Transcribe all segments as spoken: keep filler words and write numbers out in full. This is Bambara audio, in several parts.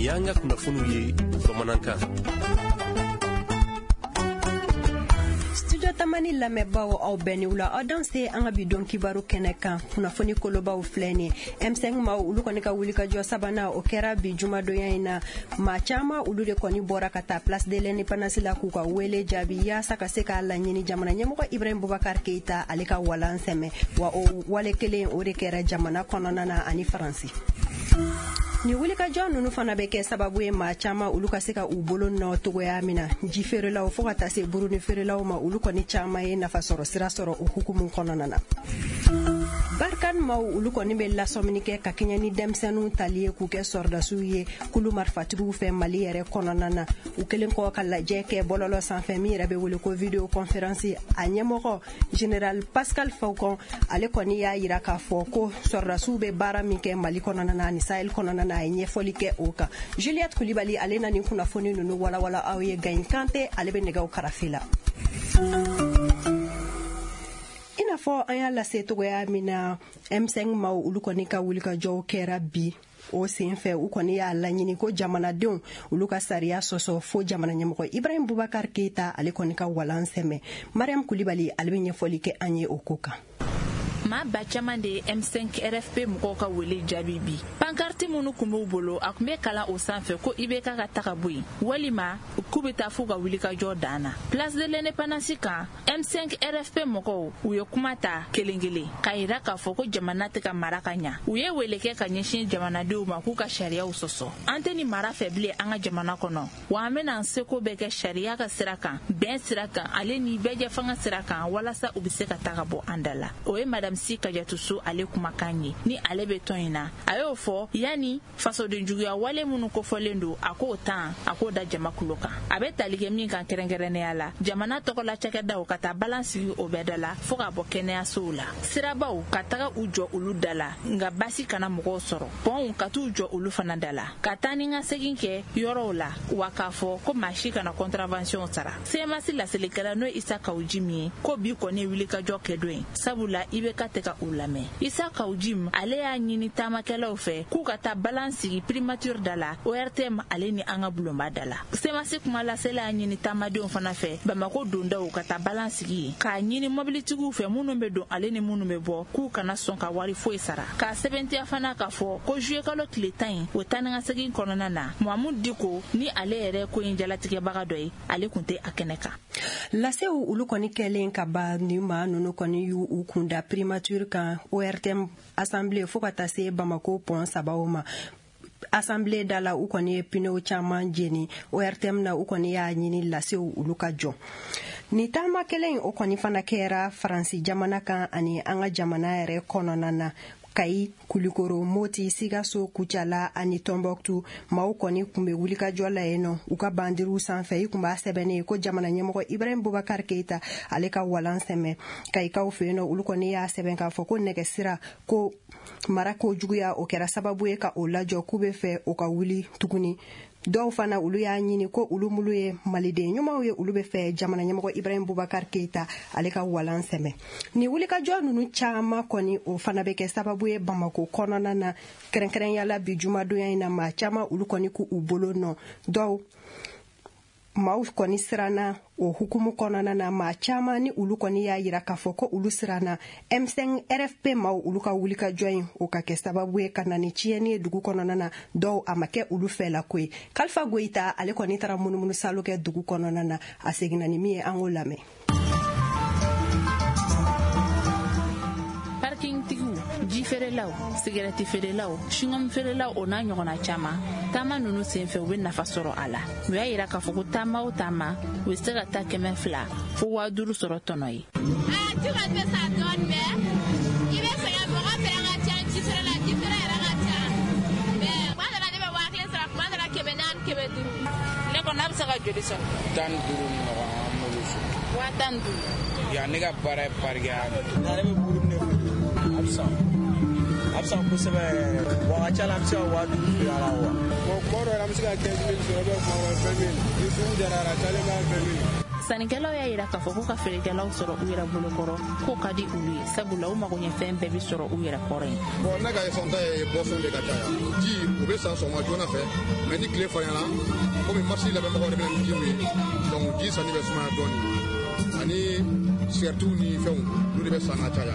Y'an ka kunnafoniw ye bamanankan. Studio Tamani lamɛnbaaw, aw bɛɛ ni wula, aw danse an ka bi don kibaru kɛnɛ kan. Kunnafoni kolobaw filɛ nin. M cinq maaw, olu kɔni ka wulikajɔ sabanan, o kɛra bi jumadonya in na. Maa caman, olu de kɔni bɔra ka taa Place de l'Indépendance la k'u ka wele jaabi yaasa ka se k'a laɲini jamana ɲɛmɔgɔ Ibrahim Boubacar Keita, ale ka walan sɛmɛ. Wa o wale kelen o de kɛra jamana kɔnɔna na ani Faransi. Ni wulikajɔ nunu fana bɛ kɛ sababu ye maa caman, olu ka se ka u bolo nɔ togoya min na, ji feerelaw fɔɔ ka taa se buruni feerelaw ma, olu kɔni caman ye nafa sɔrɔ sira sɔrɔ o hukumu kɔnɔna na. Barkhane maaw, olu kɔni bɛ lasɔmini kɛ ka kɛɲɛ ni denmisɛnninw tali ye k'u kɛ sɔrɔdasiw ye kulu marifatigiw fɛ Mali yɛrɛ kɔnɔna na. U kelen kɔ ka lajɛ kɛ bɔlɔlɔ sanfɛ min yɛrɛ bɛ wele ko vidéo conférence, a ɲɛmɔgɔ Général Pascal Faucon, ale kɔni y'a yira k'a fɔ ko sɔrɔdasiw bɛ baara min kɛ Mali kɔnɔna na ani Sahel kɔnɔna na, a ye ɲɛfɔli kɛ o kan. Juliette Kulibali, ale na nin kunnafoni ninnu walawala aw ye. Gayin Kante, ale bɛ nɛgɛw karafe la. I n'a fɔ an y'a lase togoya min na, M cinq maaw, olu kɔni ka wulikajɔw kɛra bi. O sen fɛ, u kɔni y'a laɲini ko jamanadenw, olu ka sariya sɔsɔ fo jamana ɲɛmɔgɔ Ibrahim Bubakar Keita, ale kɔni ka walan sɛmɛ. Mariam Kulibali, ale bɛ ɲɛfɔli kɛ an ye o ko kan. Maa ba caman de ye M cinq R F P mɔgɔw ka wele jaabi bi. Pankarti minnu kun b'u bolo, a kun bɛ kalan o sanfɛ ko I B K ka taga bɔ yen, walima k'u bɛ taa f'u ka wulikajɔ dan na. Place de l'Indépendance kan, M cinq R F P mɔgɔw, u ye kuma ta kelen kelen k'a yira k'a fɔ ko jamana tɛ ka mara ka ɲa. U ye wele kɛ ka ɲɛsin jamanadenw ma k'u ka sariyaw sɔsɔ. An tɛ nin mara fɛ bilen an ka jamana kɔnɔ, wa an bɛna an seko bɛɛ kɛ sariya ka sira kan, bɛn sira kan, ale ni bɛɛjɛ fanga sira kan, walasa u bɛ se ka taga bɔ an da la. O ye Madame Si Kajatuso, ale kumakan ye ni ale bɛ tɔn in na. A y'o fɔ yanni fasodenjuguya wale minnu kofɔlen don, a k'o tan, a k'o da jama kulo kan. A bɛ tali kɛ min kan kɛrɛnkɛrɛnnenya la, jamana tɔgɔla cakɛdaw ka taa balan sigi o bɛɛ da la, fɔɔ ka bɔ kɛnɛyasow la, sirabaw ka taga u jɔ olu da la, nka basi kana mɔgɔw sɔrɔ, pɔnw ka t'u jɔ olu fana da la, ka taa ni ka segin kɛ yɔrɔw la, wa k'a fɔ ko maa si kana contravention sara. C M A S laselikɛla, n'o ye Isa Kawu Jim ye, ko bi kɔni ye wulikajɔ kɛ don ye, sabula I B K tɛ ka u lamɛn. Isa Kawu Jim, ale y'a ɲini taamakɛlaw fɛ k'u ka taa balan sigi primature da la, O R T M ale ni an ka bulonba da la. C M A S kuma lasela y'a ɲini taamadenw fana fɛ Bamako dondaw ka taa balan sigi yen, k'a ɲini mɔbilitigiw fɛ minnu bɛ don ale ni minnu bɛ bɔ, k'u kana sɔn ka wari foyi sara. K'a sɛbɛntiya fana k'a fɔ ko juillet kalo tile tan in, o taa ni ka segin kɔnɔna na, Mamudu Diko ni ale yɛrɛ ko in jalatigɛbaga dɔ ye, ale kun tɛ a kɛnɛ kan. Lasew, olu kɔni kɛlen ka ban, ni maa nunu kɔni y'u u kunda primature kan, O R T M, assemblée, fo ka taa se Bamako pɔn sabaw ma. Assemblée da la, u kɔni ye pneuw caman jeni. O R T M na, u kɔni y'a ɲini lasew, olu ka jɔ. Ni taama kelen in, o kɔni fana kɛra Faransi jamana kan ani an ka jamana yɛrɛ kɔnɔna na. Kayi, Kulikoro, Moti, Sikaso, Kucala ani Tɔnbɔkutu, maaw kɔni kun bɛ wulikajɔ la yen nɔ. U ka bandiriw sanfɛ, i kun b'a sɛbɛnnen ko jamana ɲɛmɔgɔ Ibrahim Bubakar Keita, ale ka walan sɛmɛ. Kayikaw fɛ yen nɔ, olu kɔni y'a sɛbɛn k'a fɔ ko nɛgɛsira ko mara ko juguya, o kɛra sababu ye ka o lajɔ, k'u bɛ fɛ o ka wuli tuguni. Dɔw fana, olu y'a ɲini ko olu mulu ye maliden ɲumanw ye, olu bɛ fɛ jamana ɲɛmɔgɔ Ibrahim Bubakar Keita, ale ka walan sɛmɛ. Ni wulikajɔ nunu caman kɔni, o fana bɛ kɛ sababu ye Bamako kɔnɔna na, kɛrɛnkɛrɛnya bi jumadonya in na, maa caman, olu kɔni k'u bolo nɔ. Dɔw maaw kɔni siranna o hukumu kɔnɔna na. Maa caman ni olu kɔni y'a yira k'a fɔ ko olu siranna M cinq R F P maaw, olu ka wulikajɔ in, o ka kɛ sababu ye ka na ni tiɲɛni ye dugu kɔnɔna na. Dɔw a ma kɛ olu fɛ la ko ye. Kalifa Goyita, ale kɔni taara munumunu salo kɛ dugu kɔnɔna na. A seginna ni min ye, an k'o lamɛn. Parking tigiw, ji feerelaw, sigɛrɛti feerelaw, chewing-gum feerelaw, o n'a ɲɔgɔnna caman, taama nunu senfɛ u be nafa sɔrɔ a la. U y'a yira k'a fɔ ko taama o taama, u be se ka taa kɛmɛ fila fo waa duuru sɔrɔ tɔnɔ ye. Ji kɔni bɛ sa dɔɔni, mɛ i bɛ sɛgɛn. Mɔgɔ fɛnɛ ka ca ji feere la, ji feere yɛrɛ ka ca, mɛ kuma dɔ la ne bɛ waa kelen sɔrɔ, kuma dɔ la kɛmɛ naani, kɛmɛ duuru. Ne kɔni, a bɛ se ka joli sɔrɔ? Tan ni duuru ɲɔgɔn, an b'olu sɔrɔ. Waa tan ni duuru. Yan ne ka baara ye parking. Ale bɛ buru ne feere, a bɛ san, a bɛ san kosɛbɛ yɛrɛ. Wa a ka ca la, an bɛ se ka waa duuru feere a la wa. Bon, kuma dɔw la an bɛ se ka quinze mille sɔrɔ, ou bien kuma dɔw vingt mille. Ni sugu diyara, a cayalen b'a vingt mille. Sannikɛlaw y'a yira k'a fɔ k'u ka feerekɛlaw sɔrɔ u yɛrɛ bolokɔrɔ, k'o ka di olu ye, sabula u mago ɲɛfɛn bɛɛ bɛ sɔrɔ u yɛrɛ kɔrɔ yen. Bon, ne ka sɔnta ye boisson de ka caya. Ji u bɛ san sɔgɔma joona fɛ, mais ni tile farinyana, komi marché labɛnbagaw de bɛ na ni jiw ye, donc ji sanni bɛ sumaya dɔɔni, ani sigarɛtiw ni fɛnw olu de bɛ san ka caya.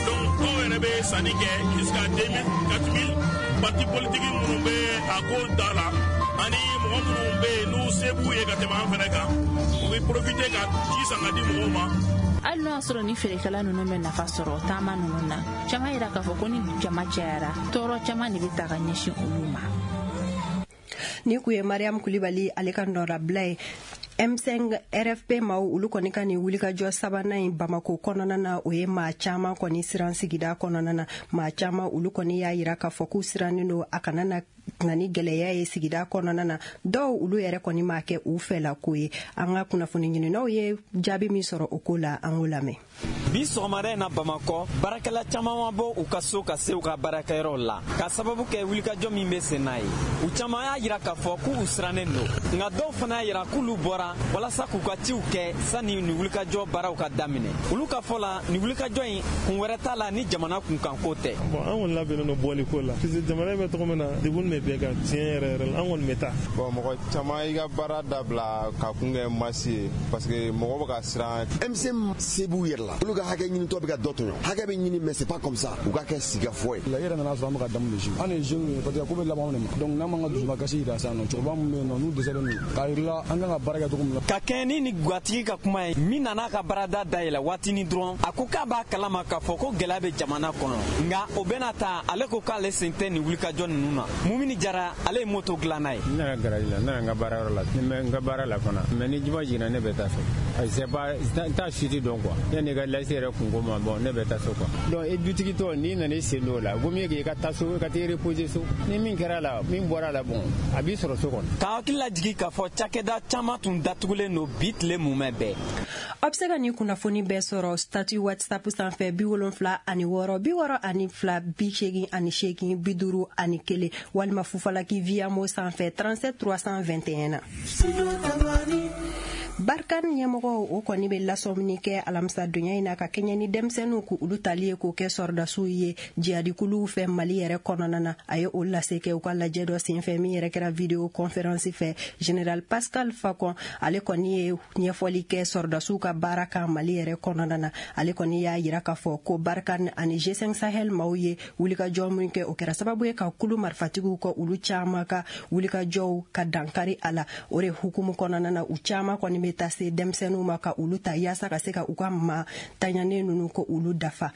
Donc dɔw yɛrɛ bɛ sanni kɛ jusqu'à deux mille quatre mille. Parti politique minnu bɛ a ko da la ani mɔgɔ minnu bɛ yen n'u se b'u ye ka tɛmɛ an fɛnɛ kan, u bɛ profiter ka ji san ka di mɔgɔw ma. Hali n'o y'a sɔrɔ ni feerekɛla ninnu bɛ nafa sɔrɔ taama ninnu na, caman yira k'a fɔ ko ni jama cayara, tɔɔrɔ caman de bɛ ta ka ɲɛsin olu ma. Ni kun ye Mariam Kulibali ale ka nɔrabila ye. M cinq R F P maaw olu kɔni ka nin wulikajɔ sabanan in Bamako kɔnɔna na, o ye maa caman kɔni siran sigida kɔnɔna na. Maa caman olu kɔni y'a yira k'a fɔ k'u sirannen don a kana na na ni gɛlɛya ye sigida kɔnɔna na. Dɔw olu yɛrɛ kɔni m'a kɛ u fɛla ko ye. An ka kunnafoni ɲininaw ye jaabi min sɔrɔ o ko la, an k'o lamɛn. Bi sɔgɔmada in na Bamakɔ, baarakɛla caman ma bɔ u ka so ka se u ka baarakɛyɔrɔw la k'a sababu kɛ wulikajɔ min bɛ sen n'a ye. U caman y'a yira k'a fɔ k'u sirannen don, nka dɔw fana y'a yira k'olu bɔra walasa k'u ka ciw kɛ sani nin wulikajɔ baaraw ka daminɛ. Olu ka fɔ la, nin wulikajɔ in kun wɛrɛ t'a la ni jamana kunkanko tɛ. Bon, an kɔni labɛnnen don bɔli ko la, parce que jamana bɛ cogo min na, degun bɛ bɛɛ kan tiɲɛ yɛrɛ yɛrɛ la, an kɔni bɛ taa. Bon, mɔgɔ caman y'i ka baara dabila ka kun kɛ masi ye, parce que mɔgɔ bɛ ka siran. M C se b'u yɛrɛ la, olu ka hakɛ ɲinitɔ bɛ ka dɔ tɔɲɔ. Hakɛ bɛ ɲini, mais c'est pas comme ça. U ka kɛ sigikafɔ ye. La yɛrɛ nana sɔrɔ an bɛ ka daminɛ si. An ye jeunes ye, parce que ko bɛ laban de ma. Donc n'an m'an ka dusukasi yira sisan nɔ, cɛkɔrɔba min bɛ yen nɔ n'u dɛsɛlen don, k'a yir'i la an kan ka baara kɛ cogo min na. Ka kɛɲɛ ni nin gatigi ka kuma ye, min nana ka baarada dayɛlɛ waatinin dɔrɔn, a ko k'a b'a kalama k'a fɔ ko gɛlɛya bɛ jamana kɔnɔ, nka o bɛna ta ale ko k'ale sen tɛ nin wulikajɔ ninnu na. Mumini Jara, ale ye moto dilanna ye. N nana garaji la, n nana n ka baarayɔrɔ la, n bɛ n ka baara la fana, mais ni juma jiginna ne bɛ taa so. C'est pas n t'a suite dɔn quoi. Yanni ka lase yɛrɛ kunko ma, bon ne bɛ taa so quoi. Donc e dutigi tɔ n'i nana i sen don o la, vaut mieux que i ka taa so, i ka t'i reposer so. Ni min kɛra la, min bɔra la, bon a b'i sɔrɔ so kɔnɔ. Ka hakili lajigin k'a fɔ cakɛda caman tun datugulen don bi tile mumɛ bɛɛ. Aw bɛ se ka nin kunnafoni bɛɛ sɔrɔ statut WhatsApp sanfɛ bi wolonfila ani wɔɔrɔ bi wɔɔrɔ ani fila bi seegin ani seegin bi duuru ani kelen, walima Fufalaki Viamo sanfɛ trente-sept trois cent vingt et un na. Barkhane ɲɛmɔgɔw o kɔni bɛ lasɔmini kɛ alamisa donya in na ka kɛɲɛ ni denmisɛnninw k'u olu tali ye k'o kɛ sɔrɔdasiw ye jihadikuluw fɛ Mali yɛrɛ kɔnɔna na. A ye o lase kɛ u ka lajɛ dɔ senfɛ min yɛrɛ kɛra vidéo conférence fɛ. Général Pascal Facon ale kɔni ye ɲɛfɔli kɛ sɔrɔdasiw ka baara kan Mali yɛrɛ kɔnɔna na. Ale kɔni y'a yira k'a fɔ ko Barkhane ani G cinq Sahel maaw ye wulikajɔ min kɛ, o kɛra sababu ye ka kulu marifatigiw kɔ olu caman ka wulikajɔw ka dankari a la. O de hukumu kɔnɔna na, u caman kɔni bɛ taa se denmisɛnninw ma ka olu ta yaasa ka se ka u ka maa taɲanen ninnu ko olu dafa.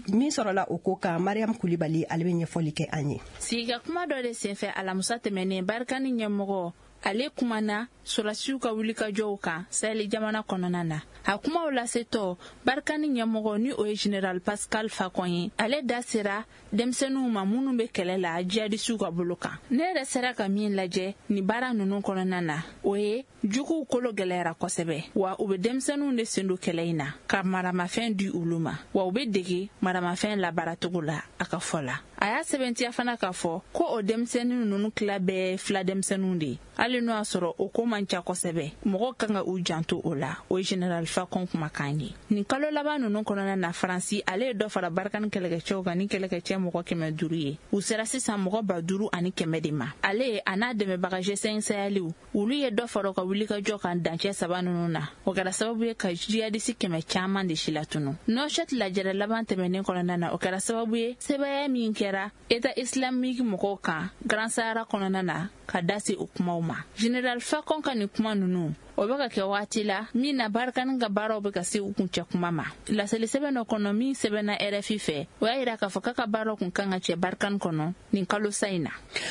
Min sɔrɔla o ko kan, Mariam Kulibali ale bɛ ɲɛfɔli kɛ an ye. Sigika kuma dɔ de senfɛ alamisa tɛmɛnen, Barkhane ɲɛmɔgɔ ale kumana sɔrɔdasiw ka wulikajɔw kan Sahel jamana kɔnɔna na. A kumaw lasetɔ, Barkhane ɲɛmɔgɔ ni o ye Général Pascal Facon ye, ale da sera denmisɛnninw ma minnu bɛ kɛlɛ la jihadisiw ka bolo kan. Ne yɛrɛ sera ka min lajɛ nin baara ninnu kɔnɔna na, o ye juguw kolo gɛlɛyara kosɛbɛ, wa u bɛ denmisɛnninw de sen don kɛlɛ in na ka maramafɛn di olu ma, wa u bɛ dege maramafɛn labaaracogo la a ka fɔ la. A y'a sɛbɛntiya fana k'a fɔ ko o denmisɛnnin ninnu tila bɛɛ fila denmisɛnninw de ye, hali n'o y'a sɔrɔ o ko man ca kosɛbɛ, mɔgɔw kan ka u janto o la. O ye Général Facon kumakan ye. Nin kalo laban ninnu kɔnɔna na, Faransi ale ye dɔ fara Barkhane kɛlɛkɛcɛw kan ni kɛlɛkɛcɛ mɔgɔ kɛmɛ duuru ye. U sera sisan mɔgɔ ba duuru ani kɛmɛ de ma. Ale a n'a dɛmɛbaga G cinq Saheliw, olu ye dɔ fara u ka wulikajɔ kan dancɛ saba ninnu na. O kɛra sababu ye ka jihadisi kɛmɛ caman de silatunu. Nouakchott lajɛrɛ laban tɛmɛnen kɔnɔna na, o kɛra sababu ye sɛbɛya min kɛra État islamique mɔgɔw kan Grand Sahara kɔnɔna na ka da se o kumaw ma. Général Facon ka nin kuma ninnu, o bɛ ka kɛ waati la min na Barkhane ka baaraw bɛ ka se u kuncɛ kuma ma. Laseli sɛbɛn dɔ kɔnɔ min sɛbɛnna R F I fɛ, o y'a yira k'a fɔ k'a ka baaraw kun kan ka cɛ Barkhane kɔnɔ nin kalo sa in na.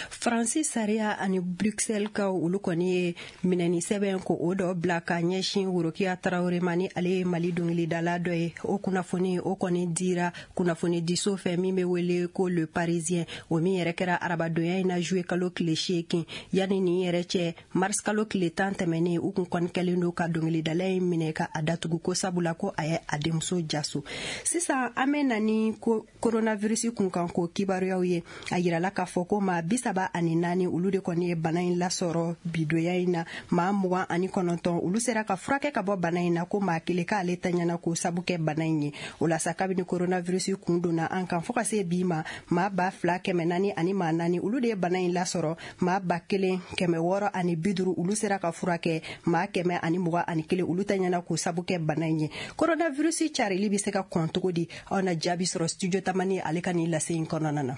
Faransi sariya ani Bruxelles kaw olu kɔni ye minɛni sɛbɛn ko o dɔ bila ka ɲɛsin Worokiya Tarawele ma, ni ale ye Mali dɔnkilidala dɔ ye. O kunnafoni o kɔni dira kunnafonidiso fɛ min bɛ wele ko Le Parisien, o min yɛrɛ kɛra arabadonya in na juillet kalo tile seegin. Yanni nin yɛrɛ cɛ, mars kalo tile tan tɛmɛnen, u kun kɔni kɛlen don ka dɔnkilidala in minɛ ka a datugu ko sabula ko a ye a denmuso jaso. Sisan an bɛ na ni coronavirus kunkan ko kibaruyaw ye. A yirala k'a fɔ ko maa bi saba ani naani olu de kɔni ye bana in lasɔrɔ bidoya in na. Maa mugan ani kɔnɔntɔn olu sera ka furakɛ ka bɔ bana in na, ko maa kelen k'ale taɲana k'o sabu kɛ bana in ye. O la sa, kabini coronavirus kun donna an kan fo ka se bi ma, maa ba fila kɛmɛ naani ani maa naani olu de ye bana in lasɔrɔ. Maa ba kelen kɛmɛ wɔɔrɔ ani bi duuru olu sera ka furakɛ, maa kɛmɛ ani mugan ani kelen olu taɲana k'o sabu kɛ bana in ye. Coronavirus carili bɛ se ka kɔn cogo di? Aw na jaabi sɔrɔ studio Tamani ale ka nin lase in kɔnɔna na.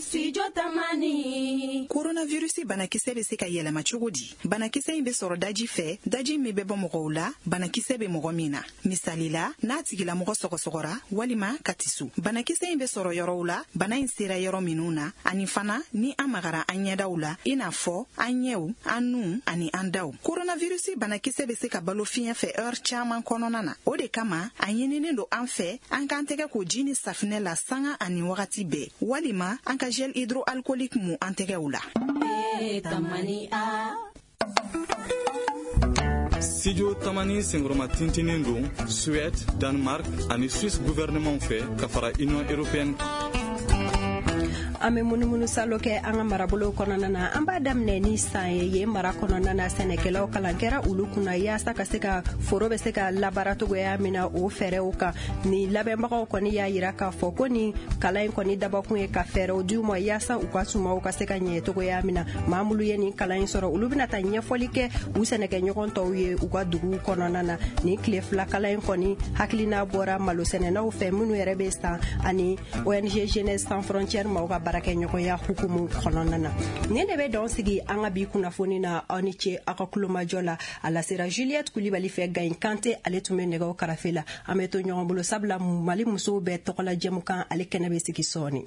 Studio Tamani. Coronavirus banakisɛ bɛ se ka yɛlɛma cogo di? Banakisɛ in bɛ sɔrɔ daji fɛ, daji min bɛ bɔ mɔgɔw la, banakisɛ bɛ mɔgɔ min na. Misali la, n'a tigilamɔgɔ sɔgɔsɔgɔra walima ka tisu. Banakisɛ in bɛ sɔrɔ yɔrɔw la, bana in sera yɔrɔ minnu na, ani fana ni an magara an ɲɛdaw la, i n'a fɔ an ɲɛw, an nun ani an daw. Coronavirus banakisɛ bɛ se ka balo fiɲɛ fɛ heure caman kɔnɔna na. O de kama, a ɲininen don an fɛ, an k'an tɛgɛ ko ji ni safinɛ la sanga ani wagati bɛɛ, walima an ka gel hydroalcoolique mu an tɛgɛw la. Studio Tamani senkɔrɔma tintinin don Suède, Danemark ani Suisse gouvernement fɛ ka fara Union européenne. An bɛ munumunu salo kɛ an ka marabolo kɔnɔna na. An b'a daminɛ ni san ye. Yen mara kɔnɔna na, sɛnɛkɛlaw kalan kɛra olu kunna yaasa ka se ka foro bɛ se ka labaara cogoya min na o fɛɛrɛw kan. Ni labɛnbagaw kɔni y'a yira k'a fɔ ko ni kalan in kɔni dabɔkun ye ka fɛɛrɛw d'u ma yaasa u ka sumaw ka se ka ɲɛ cogoya min na. Maa minnu ye nin kalan in sɔrɔ, olu bɛna taa ɲɛfɔli kɛ u sɛnɛkɛɲɔgɔn tɔw ye u ka duguw kɔnɔna na. Nin tile fila kalan in kɔni hakilina bɔra malosɛnɛnaw fɛ minnu yɛrɛ bɛ san ani O N G Jeunesse Sans Frontières maaw ka baarakɛɲɔgɔnya hukumu kɔnɔna na. Nin de bɛ dɔn sigi an ka bi kunnafoni na. Aw ni ce aw ka kulomajɔ la. A lasera Juliette Kulibali fɛ, Gayin Kante ale tun bɛ nɛgɛw karafe la. An bɛ to ɲɔgɔn bolo sabula Mali musow bɛɛ tɔgɔla jɛmukan ale kɛnɛ bɛ sigi sɔɔni.